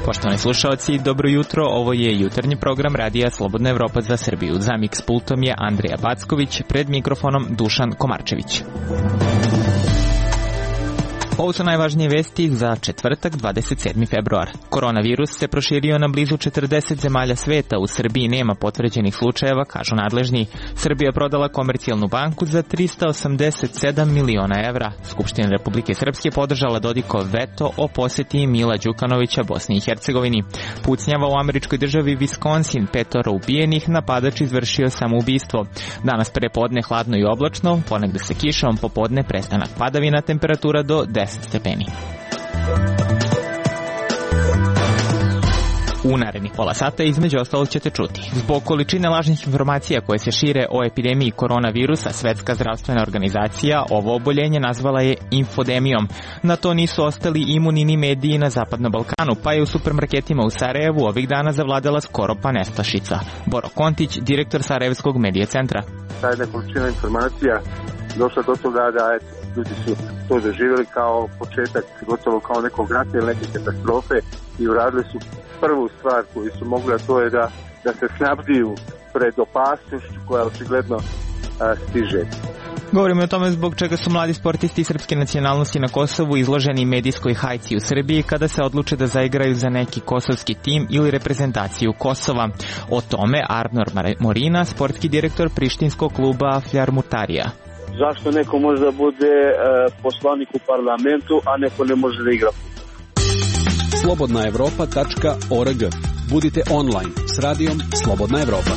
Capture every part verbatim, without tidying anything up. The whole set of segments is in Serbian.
Poštovani slušalci, dobro jutro, ovo je jutarnji program Radija Slobodna Evropa za Srbiju. Za miks pultom je Andrija Backović, pred mikrofonom Dušan Komarčević. Ovo su najvažnije vesti za četvrtak, dvadeset sedmi februar. Koronavirus se proširio na blizu četrdeset zemalja sveta. U Srbiji nema potvrđenih slučajeva, kažu nadležni. Srbija prodala Komercijalnu banku za trista osamdeset sedam miliona evra. Skupština Republike Srpske podržala Dodikov veto o poseti Mila Đukanovića Bosni i Hercegovini. Pucnjava u američkoj državi Wisconsin, petoro ubijenih, napadač izvršio samoubistvo. Danas prepodne hladno i oblačno, ponegde se kišom, popodne prestanak padavina, temperatura do deset stepeni. U narednih pola sata između ostalog ćete čuti. Zbog količine lažnih informacija koje se šire o epidemiji koronavirusa, Svetska zdravstvena organizacija ovo oboljenje nazvala je infodemijom. Na to nisu ostali imuni ni mediji na Zapadnom Balkanu, pa je u supermarketima u Sarajevu ovih dana zavladala skoro pa nestašica. Boro Kontić, direktor Sarajevskog medija centra. Ta jedna količina informacija došla do toga da je ljudi su to doživjeli kao početak, gotovo kao nekog rata ili neke katastrofe i uradili su prvu stvar koju su mogli, a to je da, da se snabdiju pred opasnošću koja očigledno a, stiže. Govorimo o tome zbog čega su mladi sportisti srpske nacionalnosti na Kosovu izloženi medijskoj hajci u Srbiji kada se odluče da zaigraju za neki kosovski tim ili reprezentaciju Kosova. O tome Arnor Morina, sportski direktor prištinskog kluba Fjarmutarija. Zašto neko može da bude e, poslanik u parlamentu, a neko ne može da igra? slobodna evropa tačka org. Budite online s radijom Slobodna Evropa.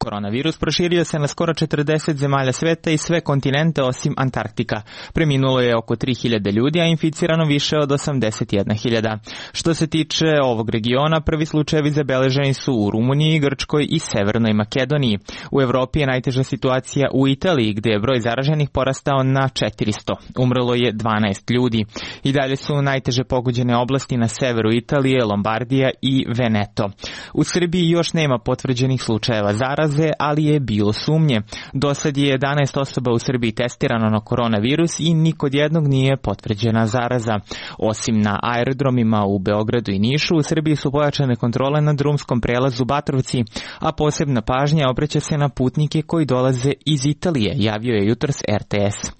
Koronavirus proširio se na skoro četrdeset zemalja sveta i sve kontinente osim Antarktika. Preminulo je oko tri hiljade ljudi, a inficirano više od osamdeset jedna hiljada. Što se tiče ovog regiona, prvi slučajevi zabeleženi su u Rumuniji, Grčkoj i Severnoj Makedoniji. U Evropi je najteža situacija u Italiji, gde je broj zaraženih porastao na četiristo. Umrlo je dvanaest ljudi. I dalje su najteže pogođene oblasti na severu Italije, Lombardija i Veneto. U Srbiji još nema potvrđenih slučajeva zaraze, ali je bilo sumnje. Do sad je jedanaest osoba u Srbiji testirano na koronavirus i nikod jednog nije potvrđena zaraza. Osim na aerodromima u Beogradu i Nišu, u Srbiji su pojačane kontrole na drumskom prelazu Batrovci, a posebna pažnja obraća se na putnike koji dolaze iz Italije, javio je jutros er te es.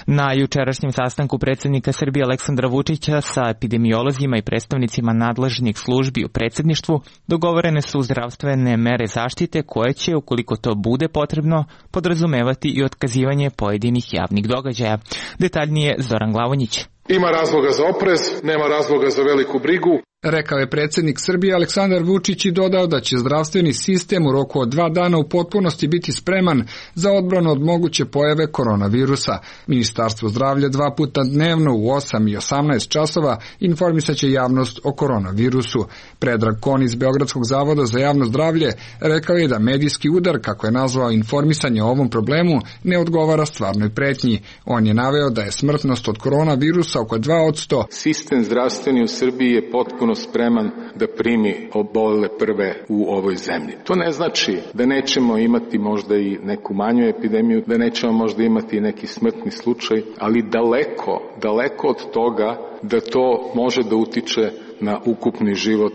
Na jučerašnjem sastanku predsjednika Srbije Aleksandra Vučića sa epidemiolozima i predstavnicima nadležnih službi u predsjedništvu dogovorene su zdravstvene mere zaštite koje će, ukoliko to bude potrebno, podrazumevati i otkazivanje pojedinih javnih događaja. Detaljnije Zoran Glavonjić. Ima razloga za oprez, nema razloga za veliku brigu. Rekao je predsjednik Srbije Aleksandar Vučić i dodao da će zdravstveni sistem u roku od dva dana u potpunosti biti spreman za odbranu od moguće pojave koronavirusa. Ministarstvo zdravlja dva puta dnevno u osam i osamnaest časova informisat će javnost o koronavirusu. Predrag Kon iz Beogradskog zavoda za javno zdravlje rekao je da medijski udar, kako je nazvao informisanje o ovom problemu, ne odgovara stvarnoj pretnji. On je naveo da je smrtnost od koronavirusa oko dva posto. Sistem zdravstveni u Srbiji je potpuno spreman da primi obolele prve u ovoj zemlji. To ne znači da nećemo imati možda i neku manju epidemiju, da nećemo možda imati i neki smrtni slučaj, ali daleko, daleko od toga da to može da utiče na ukupni život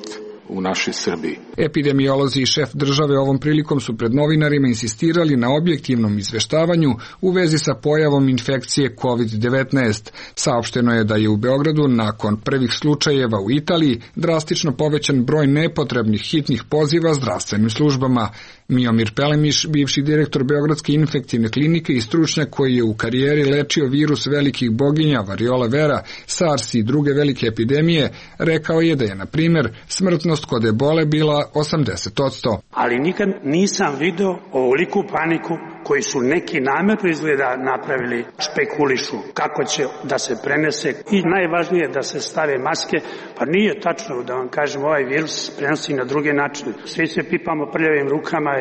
u našoj Srbiji. Epidemiolozi i šef države ovom prilikom su pred novinarima insistirali na objektivnom izveštavanju u vezi sa pojavom infekcije kovid devetnaest. Saopšteno je da je u Beogradu nakon prvih slučajeva u Italiji drastično povećan broj nepotrebnih hitnih poziva zdravstvenim službama. Miomir Pelemiš, bivši direktor Beogradske infektivne klinike i stručnjak koji je u karijeri lečio virus velikih boginja, variola vera, SARS i druge velike epidemije, rekao je da je, na primjer, smrtnost kod ebole bila osamdeset posto. Ali nikad nisam video ovoliku paniku koji su neki namjerno izgleda napravili, špekulišu kako će da se prenese i najvažnije da se stave maske, pa nije tačno da vam kažem ovaj virus prenosi na druge načine. Svi se pipamo prljavim rukama,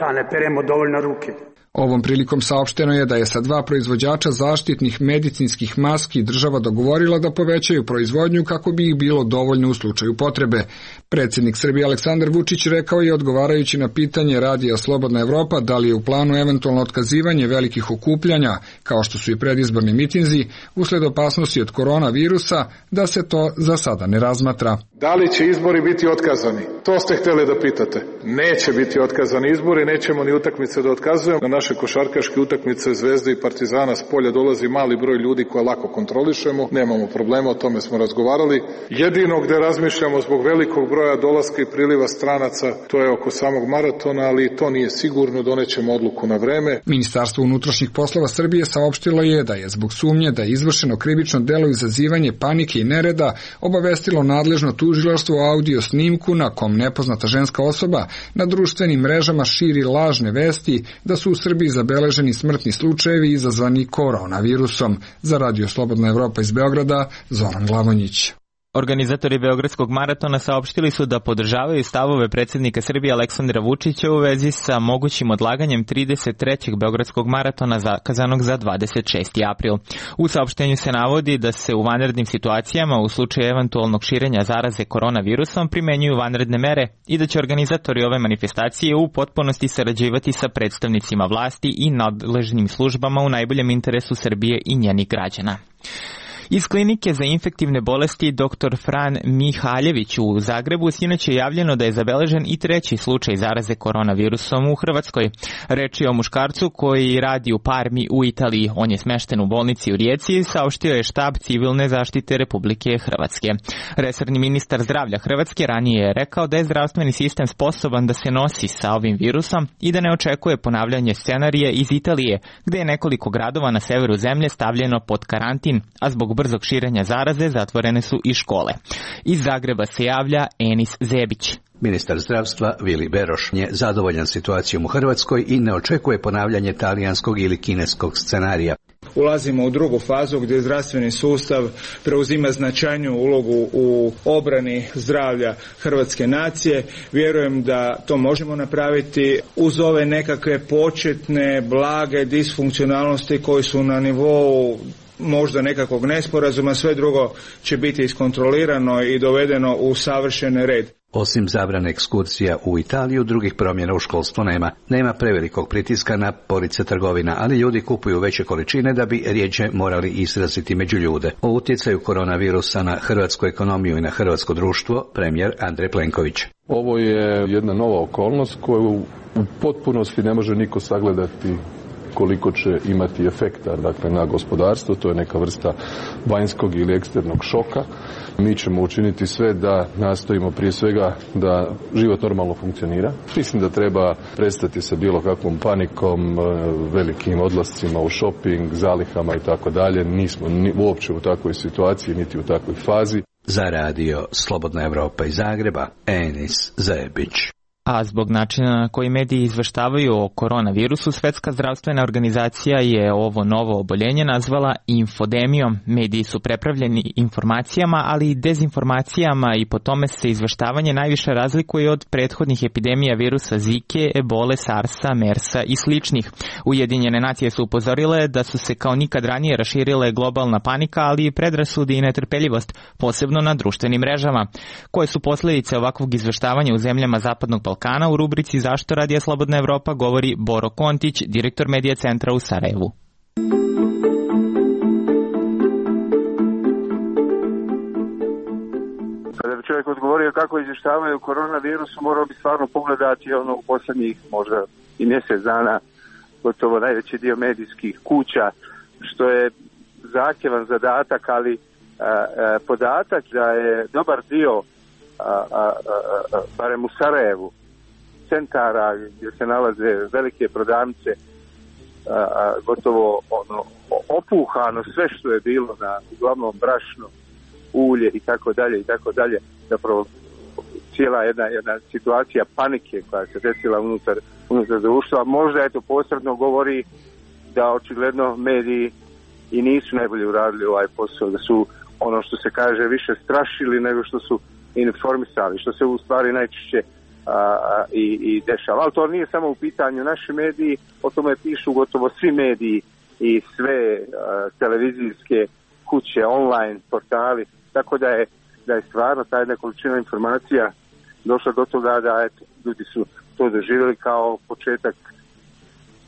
a ne peremo dovoljno ruke. Ovom prilikom saopšteno je da je sa dva proizvođača zaštitnih medicinskih maski država dogovorila da povećaju proizvodnju kako bi ih bilo dovoljno u slučaju potrebe. Predsjednik Srbije Aleksandar Vučić rekao je, odgovarajući na pitanje radija Slobodna Evropa da li je u planu eventualno otkazivanje velikih okupljanja, kao što su i predizborni mitinzi, usled opasnosti od koronavirusa, da se to za sada ne razmatra. Da li će izbori biti otkazani? To ste htjeli da pitate. Neće biti otkazani izbori, nećemo ni utakmice da otkazujemo. Na naše košarkaške utakmice Zvezde i Partizana s polja dolazi mali broj ljudi koje lako kontrolišemo. Nemamo problema, o tome smo razgovarali. Jedino gde razmišljamo zbog velikog broja dolaska i priliva stranaca, to je oko samog maratona, ali to nije sigurno, donećemo odluku na vreme. Ministarstvo unutrašnjih poslova Srbije saopštilo je da je zbog sumnje da je izvršeno krivično delo izazivanje panike i nereda obavestilo nadležno tužilaštvo o audio snimku na kom nepoznata ženska osoba na društvenim mrežama širi lažne vesti da su u Srbiji zabeleženi smrtni slučajevi izazvani koronavirusom. Za Radio Slobodna Evropa iz Beograda, Zoran Glavonjić. Organizatori Beogradskog maratona saopštili su da podržavaju stavove predsjednika Srbije Aleksandra Vučića u vezi sa mogućim odlaganjem trideset trećeg Beogradskog maratona zakazanog za dvadeset šesti april. U saopštenju se navodi da se u vanrednim situacijama u slučaju eventualnog širenja zaraze koronavirusom primenjuju vanredne mere i da će organizatori ove manifestacije u potpunosti sarađivati sa predstavnicima vlasti i nadležnim službama u najboljem interesu Srbije i njenih građana. Iz klinike za infektivne bolesti doktor Fran Mihaljević u Zagrebu sinoć je javljeno da je zabeležen i treći slučaj zaraze koronavirusom u Hrvatskoj. Reč je o muškarcu koji radi u Parmi u Italiji. On je smešten u bolnici u Rijeci, saopštio je štab civilne zaštite Republike Hrvatske. Resorni ministar zdravlja Hrvatske ranije je rekao da je zdravstveni sistem sposoban da se nosi sa ovim virusom i da ne očekuje ponavljanje scenarije iz Italije, gde je nekoliko gradova na severu zemlje stavljeno pod karantin, a zbog brzog širenja zaraze zatvorene su i škole. Iz Zagreba se javlja Enis Zebić. Ministar zdravstva Vili Beroš je zadovoljan situacijom u Hrvatskoj i ne očekuje ponavljanje talijanskog ili kineskog scenarija. Ulazimo u drugu fazu gdje zdravstveni sustav preuzima značajniju ulogu u obrani zdravlja hrvatske nacije. Vjerujem da to možemo napraviti uz ove nekakve početne blage disfunkcionalnosti koji su na nivou možda nekakvog nesporazuma, sve drugo će biti iskontrolirano i dovedeno u savršen red. Osim zabrane ekskurzija u Italiju, drugih promjena u školstvu nema. Nema prevelikog pritiska na police trgovina, ali ljudi kupuju veće količine da bi rjeđe morali izraziti među ljude. O utjecaju koronavirusa na hrvatsku ekonomiju i na hrvatsko društvo, premijer Andrej Plenković. Ovo je jedna nova okolnost koju u potpunosti ne može niko sagledati koliko će imati efekta, dakle, na gospodarstvo. To je neka vrsta vanjskog ili eksternog šoka. Mi ćemo učiniti sve da nastojimo prije svega da život normalno funkcionira. Mislim da treba prestati sa bilo kakvom panikom, velikim odlascima u shopping, zalihama i tako dalje. Nismo ni uopće u takvoj situaciji, niti u takvoj fazi. Za Radio Slobodna Evropa iz Zagreba, Enis Zebić. A zbog načina na koji mediji izveštavaju o koronavirusu, Svetska zdravstvena organizacija je ovo novo oboljenje nazvala infodemijom. Mediji su prepravljeni informacijama, ali i dezinformacijama i po tome se izveštavanje najviše razlikuje od prethodnih epidemija virusa Zike, Ebole, Sarsa, Mersa i sličnih. Ujedinjene nacije su upozorile da su se kao nikad ranije raširile globalna panika, ali i predrasudi i netrpeljivost, posebno na društvenim mrežama. Koje su posljedice ovakvog izveštavanja u zemljama Zapadnog Balkana? U rubrici Zašto Radija Slobodna Evropa govori Boro Kontić, direktor Medija centra u Sarajevu. Kada bi čovjek odgovorio kako izvještavaju koronavirusu, morao bi stvarno pogledati ono u posljednjih možda i mjesec dana gotovo najveći dio medijskih kuća, što je zahtjevan zadatak, ali a, a, podatak da je dobar dio A, a, a, a, barem u Sarajevu, centara gdje se nalaze velike prodavnice, a, a, gotovo ono, opuhano sve što je bilo na uglavnom brašno, ulje i tako dalje i tako dalje, zapravo cijela jedna, jedna situacija panike koja se desila unutar, unutar društva. Možda je to posredno govori da očigledno mediji i nisu najbolje uradili ovaj posao, da su ono što se kaže više strašili nego što su informisali, što se u stvari najčešće a, i, i dešava. Ali to nije samo u pitanju naši mediji, o tome pišu gotovo svi mediji i sve a, televizijske kuće, online portali, tako da je, da je stvarno ta jedna količina informacija došla do toga da eto, ljudi su to doživjeli kao početak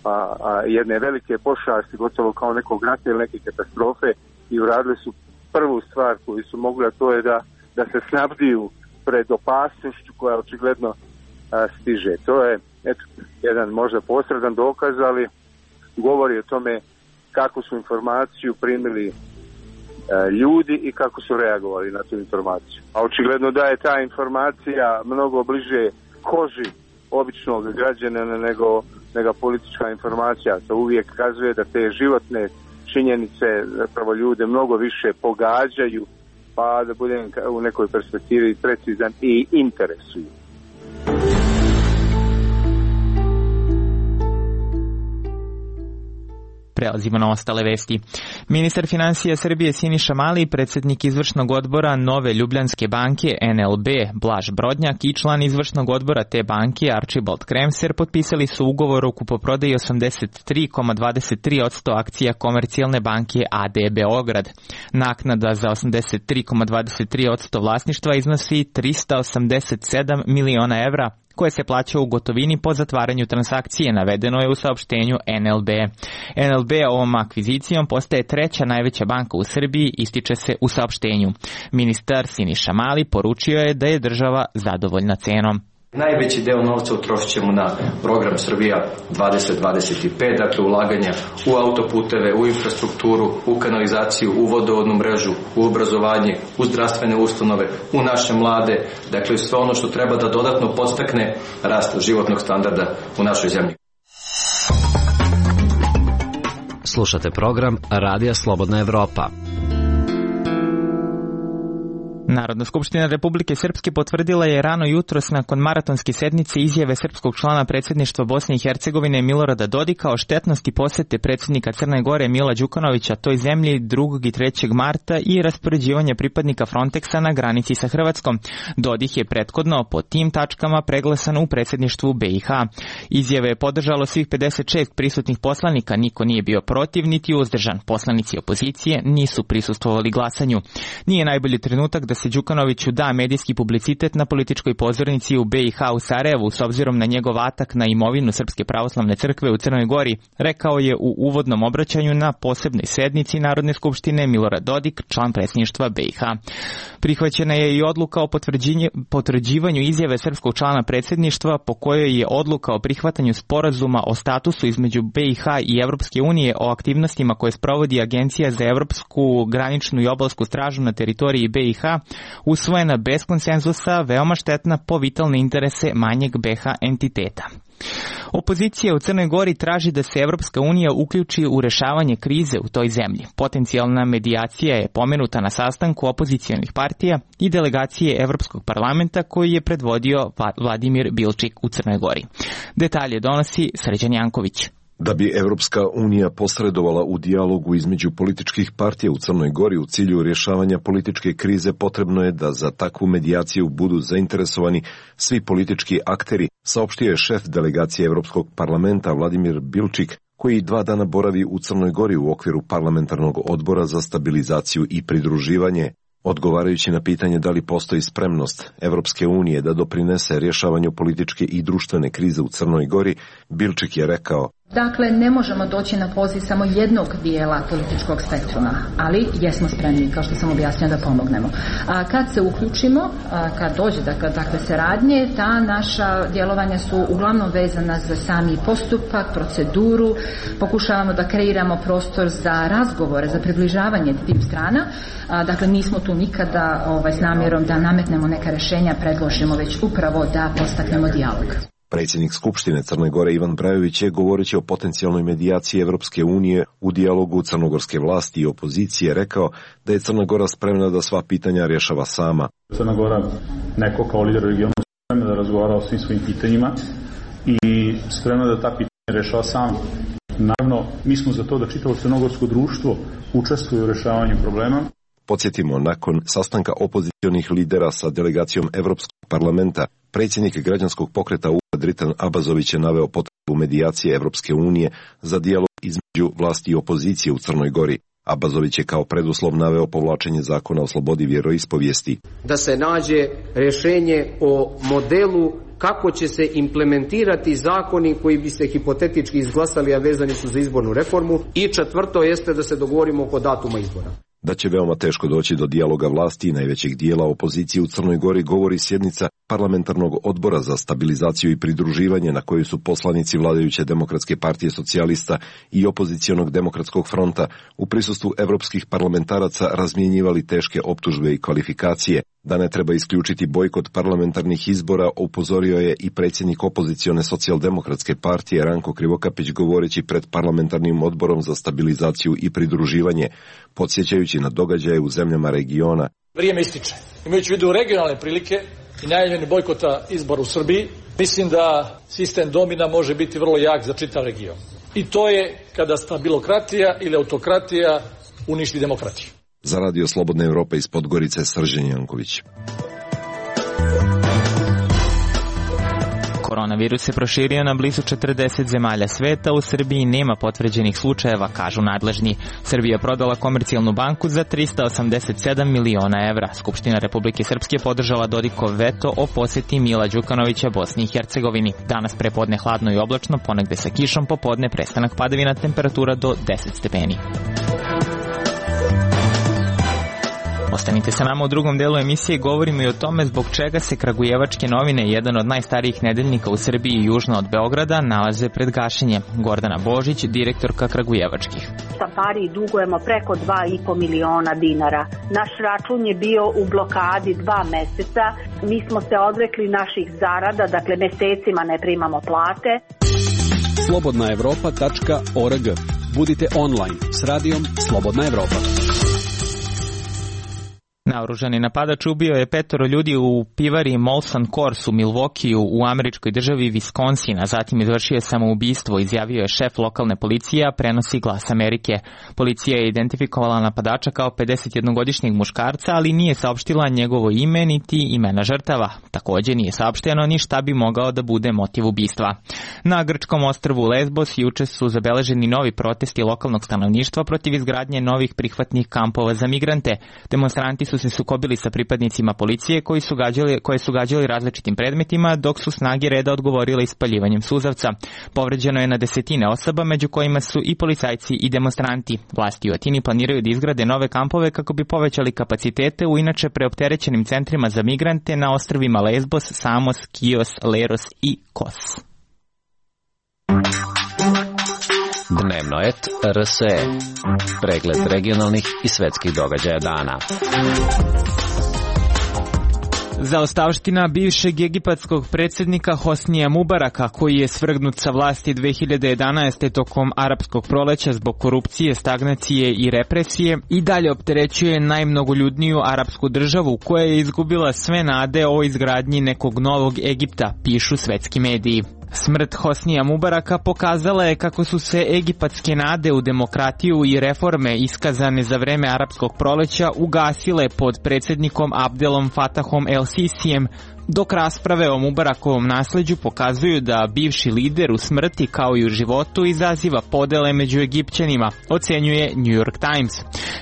a, a, jedne velike pošasti, gotovo kao nekog rata ili neke katastrofe, i uradili su prvu stvar koju su mogli, a to je da, da se snabdiju pred opasnošću koja očigledno a, stiže. To je eto, jedan možda posredan dokaz, ali govori o tome kako su informaciju primili a, ljudi i kako su reagovali na tu informaciju. A očigledno da je ta informacija mnogo bliže koži običnog građanina nego, nego politička informacija. To uvijek kazuje da te životne činjenice zapravo ljude mnogo više pogađaju, pa da budem u nekoj perspektivi precizan, i interesuju. Prelazimo na ostale vesti. Ministar financija Srbije Siniša Mali, predsjednik izvršnog odbora Nove Ljubljanske banke N L B Blaž Brodnjak i član izvršnog odbora te banke Archibald Kremser potpisali su ugovor o kupoprodaji osamdeset tri zarez dvadeset tri posto akcija Komercijalne banke A D Beograd. Naknada za osamdeset tri zarez dvadeset tri posto vlasništva iznosi trista osamdeset sedam miliona evra, koje se plaća u gotovini po zatvaranju transakcije, navedeno je u saopštenju N L B. N L B ovom akvizicijom postaje treća najveća banka u Srbiji, ističe se u saopštenju. Ministar Siniša Mali poručio je da je država zadovoljna cenom. Najveći deo novca utrošit ćemo na program Srbija dvadeset dvadeset pet, dakle ulaganja u autoputeve, u infrastrukturu, u kanalizaciju, u vodovodnu mrežu, u obrazovanje, u zdravstvene ustanove, u naše mlade, dakle sve ono što treba da dodatno podstakne rast životnog standarda u našoj zemlji. Slušate program Radija Slobodna Evropa. Narodna skupština Republike Srpske potvrdila je rano jutros nakon maratonske sednice izjave srpskog člana predsjedništva Bosne i Hercegovine Milorada Dodika o štetnosti posete predsjednika Crne Gore Mila Đukanovića toj zemlji drugog i trećeg marta i raspoređivanje pripadnika Frontexa na granici sa Hrvatskom. Dodik je prethodno po tim tačkama preglasan u predsjedništvu B i H. Izjave je podržalo svih pedeset šest prisutnih poslanika, niko nije bio protiv niti uzdržan. Poslanici opozicije nisu prisustvovali glasanju. Nije najbolji trenutak da se Đukanoviću da medijski publicitet na političkoj pozornici u B i H u Sarajevu s obzirom na njegov atak na imovinu Srpske pravoslavne crkve u Crnoj Gori, rekao je u uvodnom obraćanju na posebnoj sednici Narodne skupštine Milorad Dodik, član predsjedništva B i H. Prihvaćena je i odluka o potvrđivanju izjave srpskog člana predsjedništva po kojoj je odluka o prihvatanju sporazuma o statusu između B i H i Evropske unije o aktivnostima koje sprovodi Agencija za Evropsku graničnu i obalsku stražu na teritoriji B i H usvojena bez konsenzusa, veoma štetna po vitalne interese manjeg B i H entiteta. Opozicija u Crnoj Gori traži da se Evropska unija uključi u rešavanje krize u toj zemlji. Potencijalna medijacija je pomenuta na sastanku opozicijonih partija i delegacije Evropskog parlamenta koji je predvodio Vladimir Bilčik u Crnoj Gori. Detalje donosi Srđan Janković. Da bi Evropska unija posredovala u dijalogu između političkih partija u Crnoj Gori u cilju rješavanja političke krize, potrebno je da za takvu medijaciju budu zainteresovani svi politički akteri, saopštio je šef delegacije Evropskog parlamenta Vladimir Bilčik, koji dva dana boravi u Crnoj Gori u okviru parlamentarnog odbora za stabilizaciju i pridruživanje. Odgovarajući na pitanje da li postoji spremnost Evropske unije da doprinese rješavanju političke i društvene krize u Crnoj Gori, Bilčik je rekao: Dakle, ne možemo doći na poziv samo jednog dijela političkog spektruma, ali jesmo spremni, kao što sam objasnila, da pomognemo. A kad se uključimo, a kad dođe dakle, takve saradnje, ta naša djelovanja su uglavnom vezana za sami postupak, proceduru, pokušavamo da kreiramo prostor za razgovore, za približavanje tim strana. A, dakle, nismo tu nikada ovaj, s namjerom da nametnemo neka rješenja, predložimo, već upravo da postaknemo dijalog. Predsjednik Skupštine Crne Gore Ivan Brajović je, govoreći o potencijalnoj medijaciji Evropske unije u dijalogu crnogorske vlasti i opozicije, rekao da je Crna Gora spremna da sva pitanja rješava sama. Crna Gora, neko kao lider regionu, spremna da razgovara o svim svojim pitanjima i spremna da ta pitanja rješava sama. Naravno, mi smo za to da čitavo crnogorsko društvo učestvuje u rješavanju problema. Podsjetimo, nakon sastanka opozicionih lidera sa delegacijom Evropskog parlamenta, Predsjednik građanskog pokreta U A Dritan Abazović je naveo potrebu medijacije Evropske unije za dijalog između vlasti i opozicije u Crnoj Gori. Abazović je kao preduslov naveo povlačenje zakona o slobodi vjeroispovijesti. Da se nađe rješenje o modelu kako će se implementirati zakoni koji bi se hipotetički izglasali, a vezani su za izbornu reformu. I četvrto jeste da se dogovorimo oko datuma izbora. Da će veoma teško doći do dijaloga vlasti i najvećeg dijela opozicije u Crnoj Gori govori sjednica parlamentarnog odbora za stabilizaciju i pridruživanje na kojoj su poslanici vladajuće Demokratske partije socijalista i opozicionog Demokratskog fronta u prisustvu evropskih parlamentaraca razmjenjivali teške optužbe i kvalifikacije. Da ne treba isključiti bojkot parlamentarnih izbora, upozorio je i predsjednik opozicione socijaldemokratske partije Ranko Krivokapić govoreći pred parlamentarnim odborom za stabilizaciju i pridruživanje, podsjećajući na događaje u zemljama regiona. Vrijeme ističe. Imajući u vidu regionalne prilike i najavljeni bojkota izbora u Srbiji, mislim da sistem domina može biti vrlo jak za čitav region. I to je kada stabilokratija ili autokratija uništi demokratiju. Za Radio Slobodne Evrope iz Podgorice, Srđan Janković. Koronavirus se proširio na blizu četrdeset zemalja sveta, u Srbiji nema potvrđenih slučajeva, kažu nadležni. Srbija prodala Komercijalnu banku za trista osamdeset sedam miliona evra. Skupština Republike Srpske podržala Dodikov veto o posjeti Mila Đukanovića Bosni i Hercegovini. Danas prepodne hladno i oblačno, ponegde sa kišom, popodne prestanak padavina, temperatura do deset stepeni. Ostanite sa nama u drugom delu emisije, govorimo i o tome zbog čega se Kragujevačke novine, jedan od najstarijih nedeljnika u Srbiji i južno od Beograda, nalaze pred gašenjem. Gordana Božić, direktorka Kragujevačkih. Štampariji dugujemo preko dva i po miliona dinara. Naš račun je bio u blokadi dva meseca. Mi smo se odrekli naših zarada, dakle mesecima ne primamo plate. slobodna evropa tačka org. Budite online s radijom Slobodna Evropa. Naoružani napadač ubio je petoro ljudi u pivari Molson Coors u Milwaukeeu u američkoj državi Wisconsin, a zatim izvršio je samoubistvo, izjavio je šef lokalne policije, prenosi Glas Amerike. Policija je identifikovala napadača kao pedesetjednogodišnjeg muškarca, ali nije saopštila njegovo ime niti imena žrtava. Također nije saopšteno ni šta bi mogao da bude motiv ubistva. Na grčkom ostrvu Lesbos juče su zabeleženi novi protesti lokalnog stanovništva protiv izgradnje novih prihvatnih kampova za migrante. Demonstranti su se sukobili sa pripadnicima policije koji su gađali, koje su gađali različitim predmetima, dok su snage reda odgovorile ispaljivanjem suzavca. Povređeno je na desetine osoba, među kojima su i policajci i demonstranti. Vlasti u Atini planiraju da izgrade nove kampove kako bi povećali kapacitete u inače preopterećenim centrima za migrante na ostrvima Lesbos, Samos, Kios, Leros i Kos. Dnevno et R S E. Pregled regionalnih i svetskih događaja dana. Zaostavština bivšeg egipatskog predsjednika Hosnija Mubaraka, koji je svrgnut sa vlasti dve hiljade jedanaeste. tokom arapskog proleća zbog korupcije, stagnacije i represije, i dalje opterećuje najmnogoljudniju arapsku državu koja je izgubila sve nade o izgradnji nekog novog Egipta, pišu svetski mediji. Smrt Hosnija Mubaraka pokazala je kako su se egipatske nade u demokratiju i reforme iskazane za vreme arapskog proleća ugasile pod predsjednikom Abdelom Fatahom el-Sisijem, dok rasprave o Mubarakovom nasleđu pokazuju da bivši lider u smrti kao i u životu izaziva podele među Egipćanima, ocenjuje New York Times.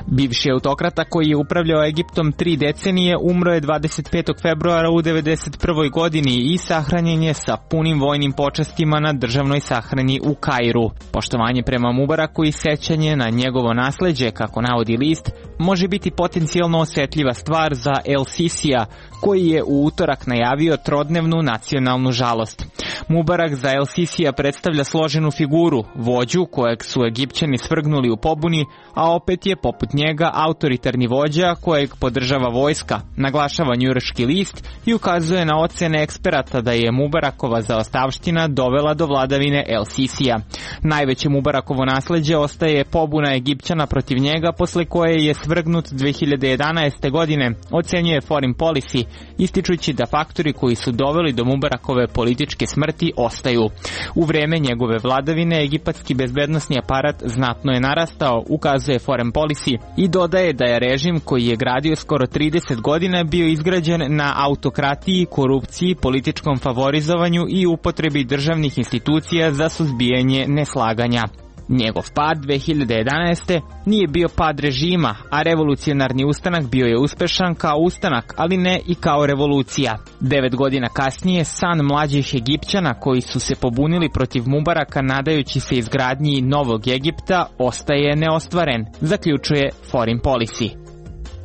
Bivši autokrata koji je upravljao Egiptom tri decenije umro je dvadeset petog februara u devedeset prvoj. godini i sahranjen je sa punim vojnim počastima na državnoj sahrani u Kairu. Poštovanje prema Mubaraku i sećanje na njegovo nasleđe, kako navodi list, može biti potencijalno osjetljiva stvar za el-Sisija, koji je u utorak najavio trodnevnu nacionalnu žalost. Mubarak za el-Sisija predstavlja složenu figuru, vođu kojeg su Egipćani svrgnuli u pobuni, a opet je poput njega autoritarni vođa kojeg podržava vojska, naglašava njujorški list i ukazuje na ocene eksperata da je Mubarakova zaostavština dovela do vladavine el-Sisija. Najveće Mubarakovo nasleđe ostaje pobuna Egipćana protiv njega, posle koje je svrgnut dve hiljade jedanaeste. godine, ocenjuje Foreign Policy, ističući da faktori koji su doveli do Mubarakove političke smrti smrti ostaju. U vreme njegove vladavine egipatski bezbednosni aparat znatno je narastao, ukazuje Foreign Policy i dodaje da je režim koji je gradio skoro trideset godina bio izgrađen na autokratiji, korupciji, političkom favorizovanju i upotrebi državnih institucija za suzbijanje neslaganja. Njegov pad dve hiljade jedanaeste. nije bio pad režima, a revolucionarni ustanak bio je uspešan kao ustanak, ali ne i kao revolucija. Devet godina kasnije, san mlađih Egipćana koji su se pobunili protiv Mubaraka nadajući se izgradnji novog Egipta ostaje neostvaren, zaključuje Foreign Policy.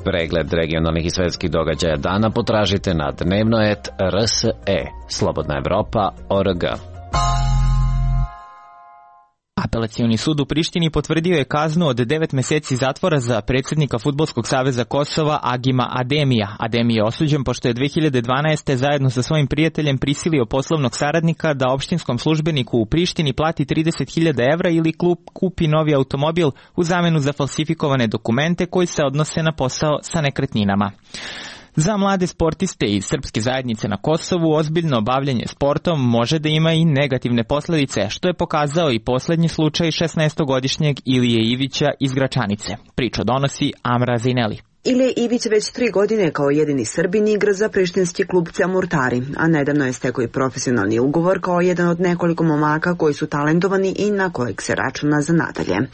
Pregled regionalnih i svetskih događaja dana potražite na dnevnoet R S E, Slobodna Evropa, O R G. Apelacioni sud u Prištini potvrdio je kaznu od devet meseci zatvora za predsjednika Fudbalskog saveza Kosova Agima Ademija. Ademi je osuđen pošto je dve hiljade dvanaeste. zajedno sa svojim prijateljem prisilio poslovnog saradnika da opštinskom službeniku u Prištini plati trideset hiljada evra ili klub kupi novi automobil u zamenu za falsifikovane dokumente koji se odnose na posao sa nekretninama. Za mlade sportiste iz srpske zajednice na Kosovu ozbiljno bavljenje sportom može da ima i negativne posledice, što je pokazao i poslednji slučaj šesnaestogodišnjeg Ilije Ivića iz Gračanice. Priču donosi Amra Zineli. Ilije Ivić već tri godine kao jedini Srbin igra za prištinski klub Camurtari, a nedavno je stekao i profesionalni ugovor kao jedan od nekoliko momaka koji su talentovani i na kojeg se računa za nadalje.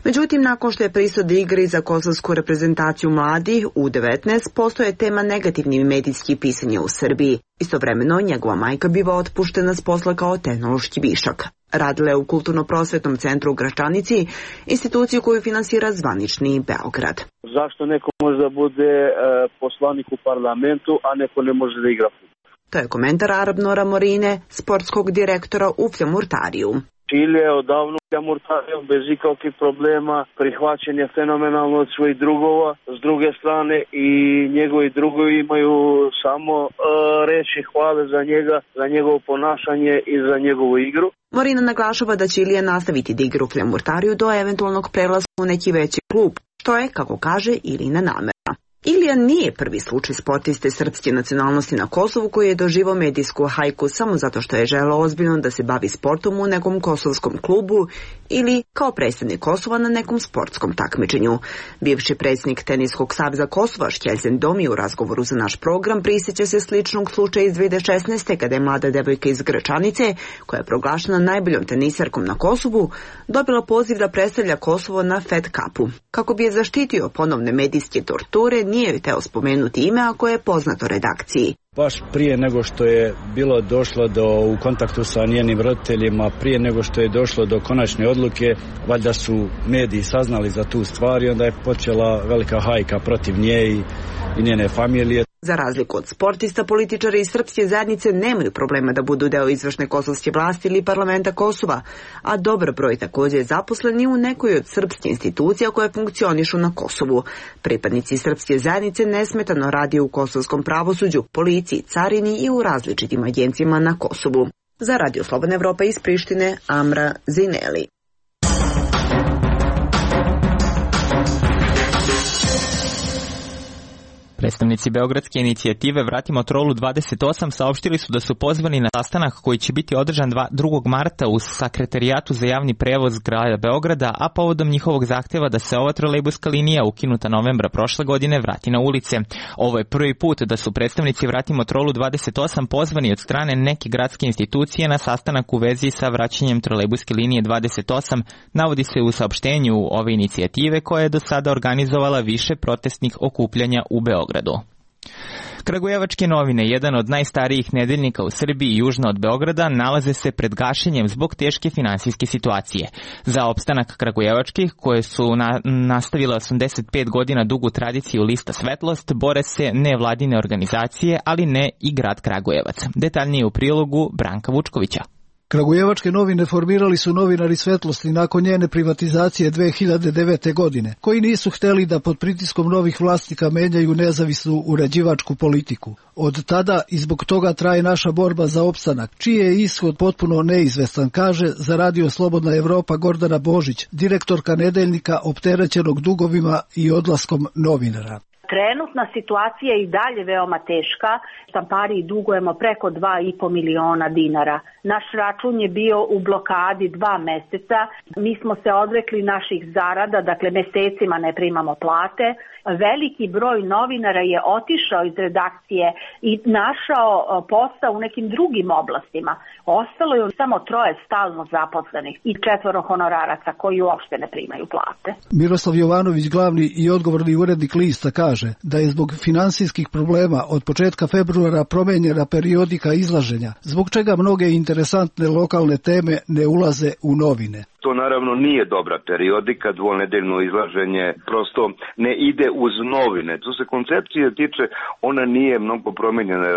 Međutim, nakon što je pristao da igra za kosovsku reprezentaciju mladih U devetnaest, postoje tema negativnih medijskih pisanja u Srbiji. Istovremeno, njegova majka biva otpuštena s posla kao tehnološki višak. Radila je u Kulturno-prosvetnom centru u Gračanici, instituciju koju finansira zvanični Beograd. Zašto neko može da bude e, poslanik u parlamentu, a neko ne može da igra fudbal? To je komentar Arabnora Morine, sportskog direktora u Camurtariju. Čile je odavno Camurtarijom bez ikakvih problema, prihvaćen je fenomenalno od svojih drugova, s druge strane i njegovi drugovi imaju samo e, reči hvale za njega, za njegovo ponašanje i za njegovu igru. Morina naglašava da će Ilija nastaviti da igra u Camurtariju do eventualnog prelaska u neki veći klub, što je, kako kaže, Ilina namera. Ilija nije prvi slučaj sportiste srpske nacionalnosti na Kosovu koji je doživao medijsku hajku samo zato što je želeo ozbiljno da se bavi sportom u nekom kosovskom klubu ili kao predstavnik Kosova na nekom sportskom takmičenju. Bivši predsjednik Teniskog saveza Kosova Šćelzen Domi u razgovoru za naš program prisjeća se sličnog slučaja iz dve hiljade šesnaeste. kada je mlada devojka iz Gračanice, koja je proglašena najboljom tenisarkom na Kosovu, dobila poziv da predstavlja Kosovo na Fed Cupu. Kako bi je zaštitio ponovne medijske torture, nije joj teo spomenuti ime ako je poznato redakciji. Baš prije nego što je bilo došlo do u kontaktu sa njenim roditeljima, prije nego što je došlo do konačne odluke, valjda su mediji saznali za tu stvar i onda je počela velika hajka protiv nje i, i njene familije. Za razliku od sportista, političari iz srpske zajednice nemaju problema da budu deo izvršne kosovske vlasti ili parlamenta Kosova, a dobar broj također je zaposleni u nekoj od srpskih institucija koje funkcionišu na Kosovu. Pripadnici srpske zajednice nesmetano radi u kosovskom pravosuđu, policiji, carini i u različitim agencijama na Kosovu. Za Radio Slobodna Evropa iz Prištine, Amra Zineli. Predstavnici Beogradske inicijative Vratimo Trolu dvadeset osam saopštili su da su pozvani na sastanak koji će biti održan drugog marta u Sekretarijatu za javni prevoz grada Beograda, a povodom njihovog zahteva da se ova trolejbuska linija ukinuta novembra prošle godine vrati na ulice. Ovo je prvi put da su predstavnici Vratimo Trolu dvadeset osam pozvani od strane neke gradske institucije na sastanak u vezi sa vraćanjem trolejbuske linije dvadeset osam, navodi se u saopštenju ove inicijative koja je do sada organizovala više protestnih okupljanja u Beogradu. Kragujevačke novine, jedan od najstarijih nedeljnika u Srbiji južno od Beograda, nalaze se pred gašenjem zbog teške finansijske situacije. Za opstanak kragujevačkih, koje su na, nastavile osamdeset pet godina dugu tradiciju lista Svetlost, bore se nevladine organizacije, ali ne i grad Kragujevac. Detaljnije u prilogu Branka Vučkovića. Kragujevačke novine formirali su novinari Svetlosti nakon njene privatizacije dve hiljade devete. godine, koji nisu hteli da pod pritiskom novih vlasnika menjaju nezavisnu uređivačku politiku. Od tada i zbog toga traje naša borba za opstanak, čiji je ishod potpuno neizvestan, kaže za Radio Slobodna Evropa Gordana Božić, direktorka nedeljnika opterećenog dugovima i odlaskom novinara. Trenutna situacija je i dalje veoma teška. Štampariji dugujemo preko dva i po miliona dinara. Naš račun je bio u blokadi dva meseca. Mi smo se odrekli naših zarada, dakle mesecima ne primamo plate. Veliki broj novinara je otišao iz redakcije i našao posao u nekim drugim oblastima. Ostalo je samo troje stalno zaposlenih i četvoro honoraraca koji uopšte ne primaju plate. Miroslav Jovanović, glavni i odgovorni urednik Lista, kaže da je zbog finansijskih problema od početka februara promenjena periodika izlaženja, zbog čega mnoge interesantne lokalne teme ne ulaze u novine. To naravno nije dobra periodika, dvonedeljno izlaženje prosto ne ide uz novine. To se koncepcije tiče, ona nije mnogo promenjena.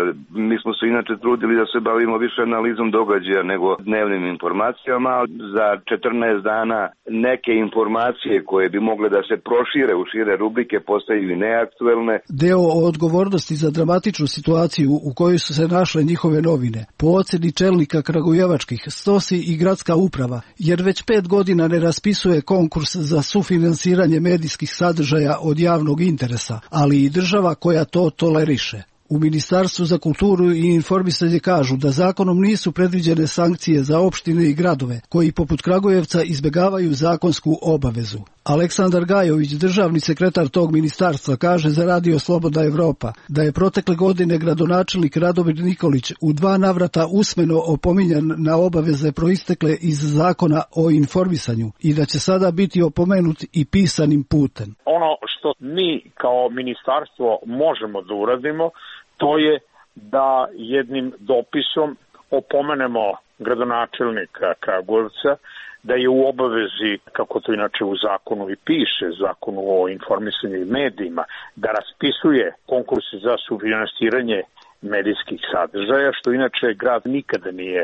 Mi smo se inače trudili da se bavimo više analizom događaja nego dnevnim informacijama. Za četrnaest dana neke informacije koje bi mogle da se prošire u šire rubrike postaju i neaktuelne. Deo o odgovornosti za dramatičnu situaciju u kojoj su se našle njihove novine, po oceni čelnika kragujevačkih, stosi i gradska uprava, jer već pet godina ne raspisuje konkurs za sufinansiranje medijskih sadržaja od javnog interesa, ali i država koja to toleriše. U Ministarstvu za kulturu i informisanje kažu da zakonom nisu predviđene sankcije za opštine i gradove koji poput Kragujevca izbegavaju zakonsku obavezu. Aleksandar Gajović, državni sekretar tog ministarstva, kaže za Radio Slobodna Evropa da je protekle godine gradonačelnik Radomir Nikolić u dva navrata usmeno opominjan na obaveze proistekle iz zakona o informisanju i da će sada biti opomenut i pisanim putem. Ono što mi kao ministarstvo možemo da uradimo, to je da jednim dopisom opomenemo gradonačelnika Kragujevca da je u obavezi, kako to inače u zakonu i piše, zakonu o informisanju i medijima, da raspisuje konkurse za sufinansiranje medijskih sadržaja, što inače grad nikada nije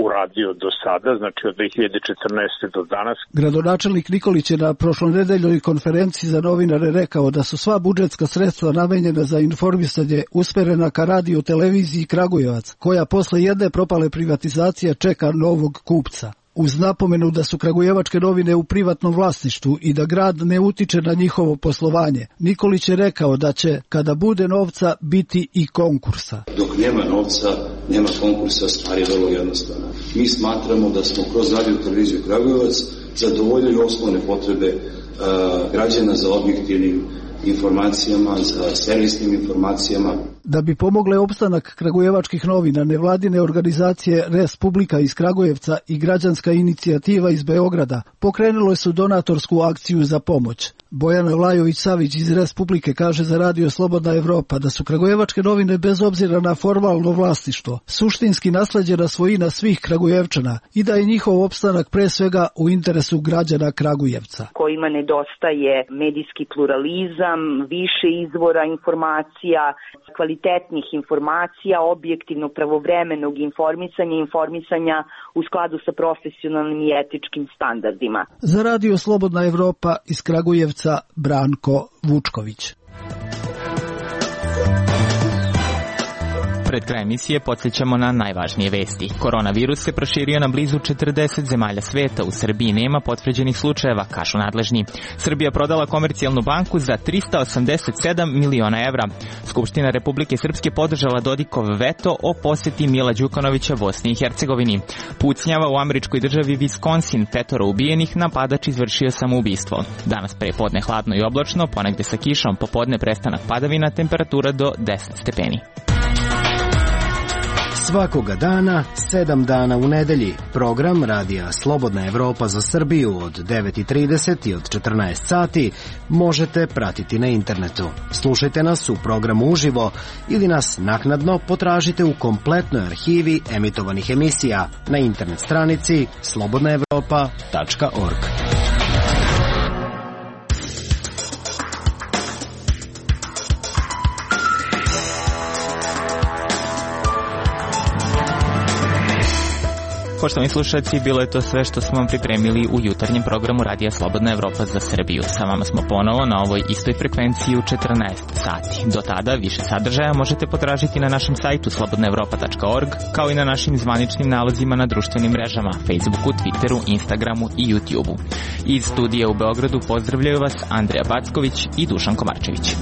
uradio do sada, znači od dve hiljade četrnaeste. do danas. Gradonačelnik Nikolić je na prošlonedeljnoj konferenciji za novinare rekao da su sva budžetska sredstva namenjena za informisanje usmerena ka radio televiziji Kragujevac, koja posle jedne propale privatizacije čeka novog kupca. Uz napomenu da su kragujevačke novine u privatnom vlasništvu i da grad ne utiče na njihovo poslovanje, Nikolić je rekao da će, kada bude novca, biti i konkursa. Dok nema novca, nema konkursa, stvar je vrlo jednostavna. Mi smatramo da smo kroz radio televiziju Kragujevac zadovoljili osnovne potrebe uh, građana za objektivnim informacijama, za servisnim informacijama. Da bi pomogle opstanak kragujevačkih novina, nevladine organizacije Res Publika iz Kragujevca i građanska inicijativa iz Beograda pokrenule su donatorsku akciju za pomoć. Bojana Vlajović-Savić iz Res Publike kaže za Radio Slobodna Evropa da su kragujevačke novine bez obzira na formalno vlasništvo suštinski nasleđena svojina svih Kragujevčana i da je njihov opstanak pre svega u interesu građana Kragujevca. Kojima nedostaje medijski pluralizam, više izvora informacija, kvalitetnih informacija, objektivnog pravovremenog informisanja, informisanja u skladu sa profesionalnim i etičkim standardima. Za Radio Slobodna Evropa iz Kragujevca Branko Vučković. Pred kraj emisije podsjećamo na najvažnije vesti. Koronavirus se proširio na blizu četrdeset zemalja sveta. U Srbiji nema potvrđenih slučajeva, kažu nadležni. Srbija prodala Komercijalnu banku za trista osamdeset sedam miliona evra. Skupština Republike Srpske podržala Dodikov veto o poseti Mila Đukanovića Bosni i Hercegovini. Pucnjava u američkoj državi Wisconsin, petoro ubijenih, napadač izvršio samoubistvo. Danas prepodne hladno i oblačno, ponegde sa kišom, popodne prestanak padavina, temperatura do deset stepeni. Svakoga dana, sedam dana u nedelji. Program Radija Slobodna Evropa za Srbiju od devet i trideset i od četrnaest sati možete pratiti na internetu. Slušajte nas u programu uživo ili nas naknadno potražite u kompletnoj arhivi emitovanih emisija na internet stranici slobodna evropa tačka org. Poštovani slušalci, bilo je to sve što smo vam pripremili u jutarnjem programu Radija Slobodna Evropa za Srbiju. Sa vama smo ponovo na ovoj istoj frekvenciji u četrnaest sati. Do tada više sadržaja možete potražiti na našem sajtu slobodna evropa tačka org, kao i na našim zvaničnim nalozima na društvenim mrežama, Facebooku, Twitteru, Instagramu i YouTubeu. Iz studija u Beogradu pozdravljaju vas Andreja Backović i Dušan Komarčević.